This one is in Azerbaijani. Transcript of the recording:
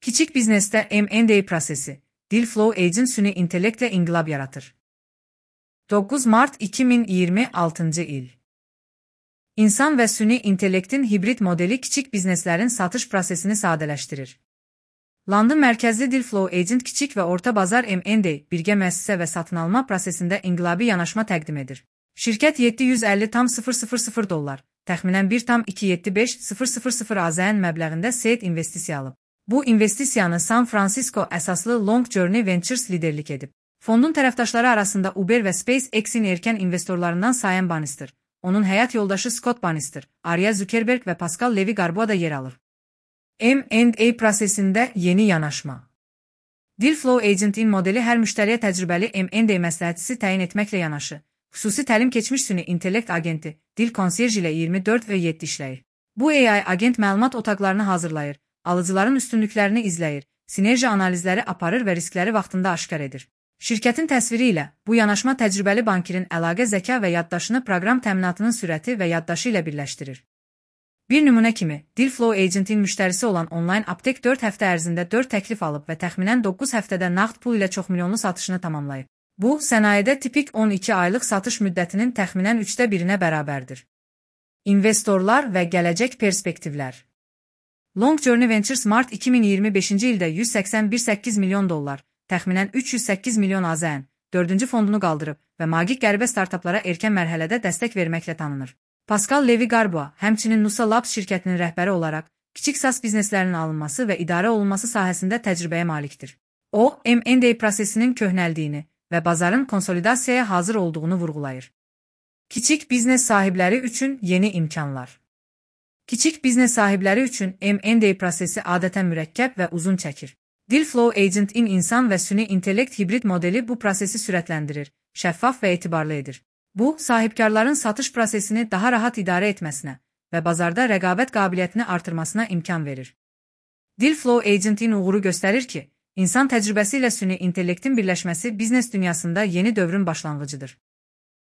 Kiçik biznesdə M&A prosesi, Dealflow Agent süni intellektlə inqilab yaratır. 9 Mart 2026 il. İnsan və süni intellektin hibrid modeli kiçik bizneslərin satış prosesini sadələşdirir. London mərkəzli Dealflow Agent kiçik və orta bazar M&A, birgə müəssisə və satın alma prosesində inqilabi yanaşma təqdim edir. Şirkət $750,000, təxminən $1,275,000 AZN məbləğində seed investisiya alıb. Bu investisiyanı San Francisco əsaslı Long Journey Ventures liderlik edib. Fondun tərəfdaşları arasında Uber və SpaceX-in erkən investorlarından Sam Bannister, onun həyat yoldaşı Scott Bannister, Arya Zuckerberg və Pascal Levy Garbois da yer alır. M&A prosesində yeni yanaşma. Dealflow Agent-in modeli hər müştəriyə təcrübəli M&A məsləhətçisi təyin etməklə yanaşı, xüsusi təlim keçmiş süni intellekt agenti, Deal Concierge ilə 24/7 işləyir. Bu AI agent məlumat otaqlarını hazırlayır, alıcıların üstünlüklərini izləyir, sinerji analizləri aparır və riskləri vaxtında aşkar edir. Şirkətin təsviri ilə bu yanaşma təcrübəli bankirin əlaqə zəka və yaddaşını proqram təminatının sürəti və yaddaşı ilə birləşdirir. Bir nümunə kimi, Dealflow Agent-in müştərisi olan online aptek 4 həftə ərzində 4 təklif alıb və təxminən 9 həftədə nağd pul ilə çoxmilyonlu satışını tamamlayıb. Bu, sənayedə tipik 12 aylıq satış müddətinin təxminən 1/3-ə bərabərdir. İnvestorlar və gələcək perspektivlər. Long Journey Ventures Mart 2025-ci ildə $181,8 milyon, təxminən $308 milyon AZN, 4-cü fondunu qaldırıb və magiq qəribə startaplara erkən mərhələdə dəstək verməklə tanınır. Pascal Levy Garbois, həmçinin Nusa Labs şirkətinin rəhbəri olaraq, kiçik SaaS bizneslərinin alınması və idarə olunması sahəsində təcrübəyə malikdir. O, M&A prosesinin köhnəldiyini və bazarın konsolidasiyaya hazır olduğunu vurğulayır. Kiçik biznes sahibləri üçün yeni imkanlar. Kiçik biznes sahibləri üçün M&A prosesi adətən mürəkkəb və uzun çəkir. Dealflow Agent-in insan və süni intellekt hibrid modeli bu prosesi sürətləndirir, şəffaf və etibarlı edir. Bu, sahibkarların satış prosesini daha rahat idarə etməsinə və bazarda rəqabət qabiliyyətini artırmasına imkan verir. Dealflow Agent-in uğuru göstərir ki, insan təcrübəsi ilə süni intellektin birləşməsi biznes dünyasında yeni dövrün başlanğıcıdır.